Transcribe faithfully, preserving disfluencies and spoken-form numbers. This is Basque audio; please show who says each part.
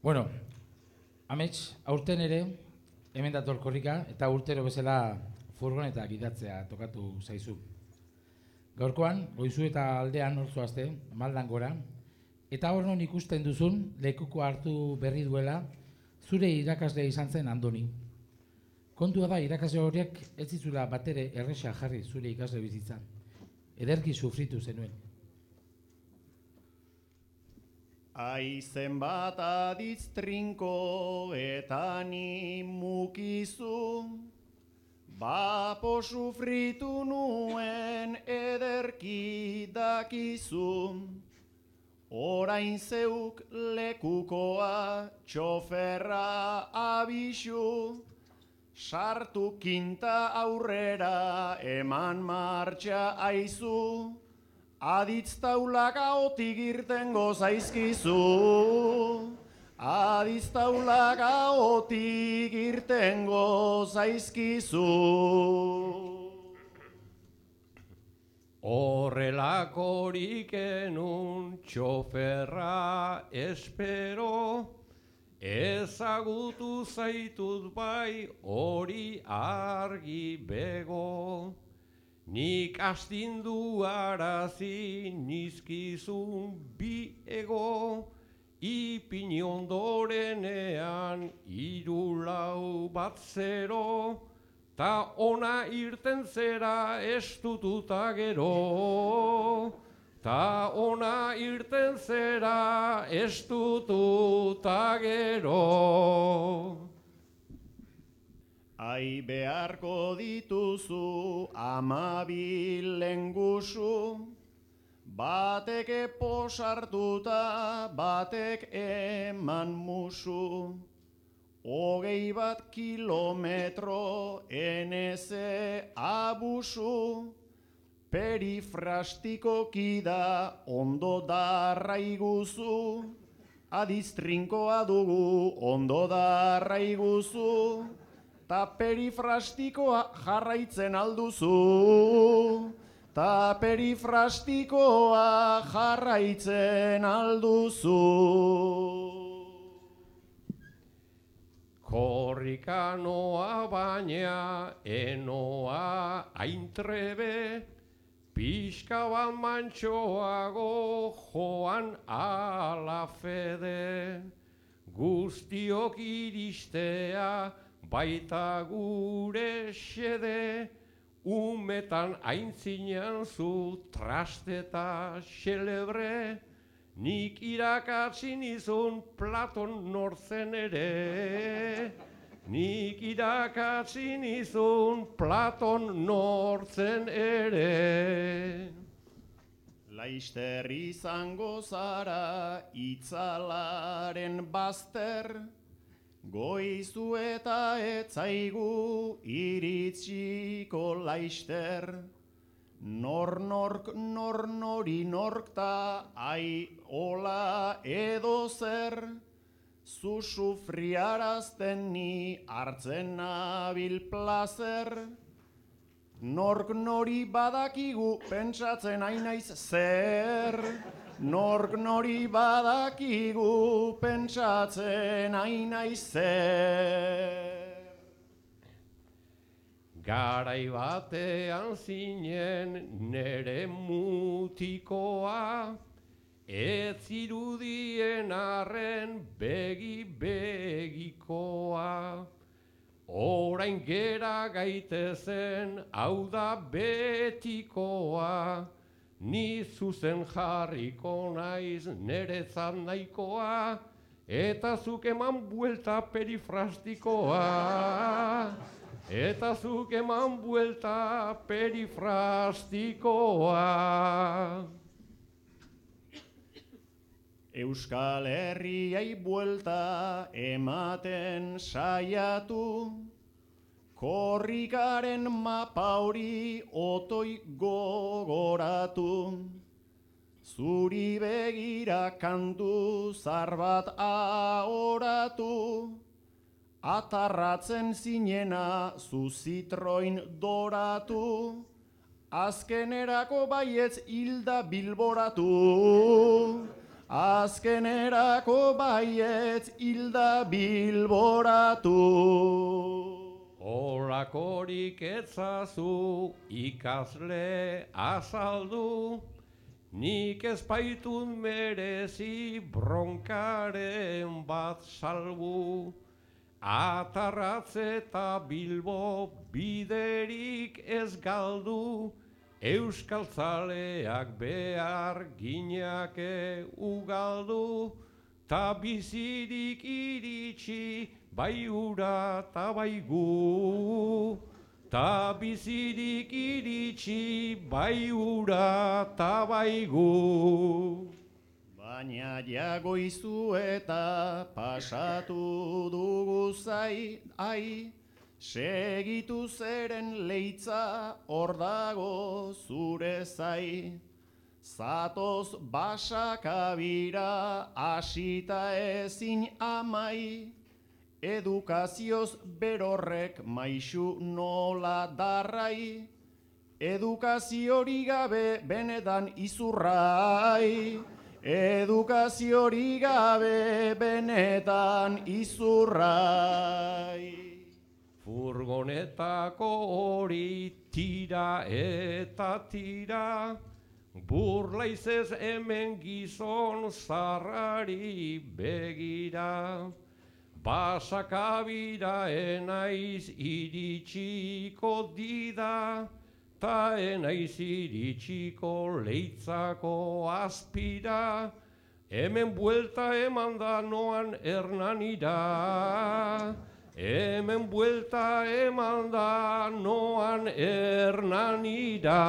Speaker 1: Bueno, amets, aurten ere, hemen dator korrika, eta urtero bezala furgoneta gidatzea tokatu zaizu. Gaurkoan, goizu eta aldean hor zoazte, maldan gora, eta hor non ikusten duzun, lekuko hartu berri duela, zure irakaslea izan zen Andoni. Kontua da, irakasle horiek ez zizula batere erresa jarri zure ikasle bizitza. Ederki sufritu zenuen.
Speaker 2: Aizen bat aditz trinko eta ni mukizu, bapo sufritu nuen ederki dakizu. Orain zeuk lekukoa txoferra abisu, sartu kinta aurrera eman martxa aizu. Aditz taulaka otik irtengo zaizkizu, aditz taulaka otik irtengo zaizkizu.
Speaker 3: Horrelakorik enun txoferra espero, ezagutu zaitut bai hori argi bego. Nik astindu arazi nizkizun bi ego, ipini ondorenean hiru lau bat zero, ta ona irten zera estututa gero, ta ona irten zera estututa gero.
Speaker 2: Ai beharko dituzu amabil lengusu, batek posartuta, batek eman musu. Hogei bat kilometro eneze abusu, perifrastikoki da ondo darra iguzu, adiz trinkoa dugu ondo darra iguzu. Ta perifrastikoa jarraitzen alduzu, ta perifrastikoa jarraitzen alduzu.
Speaker 3: Korrika noa baina enoa aintrebe, pixka bat mantxoago joan ala fede, guztiok iristea baita gure xede, umetan aintzinean zu trasteta xelebre, nik irakatsi nizun Platon nortzen ere, nik irakatsi nizun Platon nortzen ere.
Speaker 2: Laister izango zara itzalaren bazter, goizu eta etzaigu iritsiko laister. Nor nork nor nori norkta ai ola edo zer, zu sufriarazten ni hartzen nabil plazer. Nork nori badakigu pentsatzen ainaiz zer, nork nori badakigu pentsatzen ainaiz zer.
Speaker 3: Garai batean zinen nere mutikoa, ez zirudien arren begi begikoa. Orain gera gaitezen hau da betikoa, ni zuzen jarriko naiz nerezat nahikoa, eta zuk eman buelta perifrastikoa, eta zuk eman buelta perifrastikoa.
Speaker 2: Euskal Herriai buelta ematen saiatu, korrikaren mapa hori otoi gogoratu. Zuri begira kantu zar bat ahoratu, atarratzen zinena zu Citroen doratu, azkenerako baietz hilda bilboratu. azkenerako baietz hilda bilboratu.
Speaker 3: Horakorik etzazu ikasle azaldu, nik ez baitut merezi bronkaren bat salbu. Atarratze eta Bilbo biderik ez galdu, euskaltzaleak behar ginake ugaldu, ta bizirik iritsi bai ura ta bai gu, ta bizirik iritsi bai ura ta bai gu.
Speaker 2: Baina jagoizu eta pasatu dugu zai, ai, segitu zeren leitza hor dago zure zai. Zatoz basakabira asita ezin amai, edukazioz berorrek maixu nola darrai, edukaziori gabe benetan izurrai, edukaziori gabe benetan izurrai.
Speaker 3: Furgonetako hori tira eta tira, burlaizez hemen gizon zarrari begira. Basakabira enaiz iritsiko dida, ta enaiz iritsiko leitzako azpira, hemen buelta eman da noan Hernanira. Hemen buelta eman da noan Hernanira.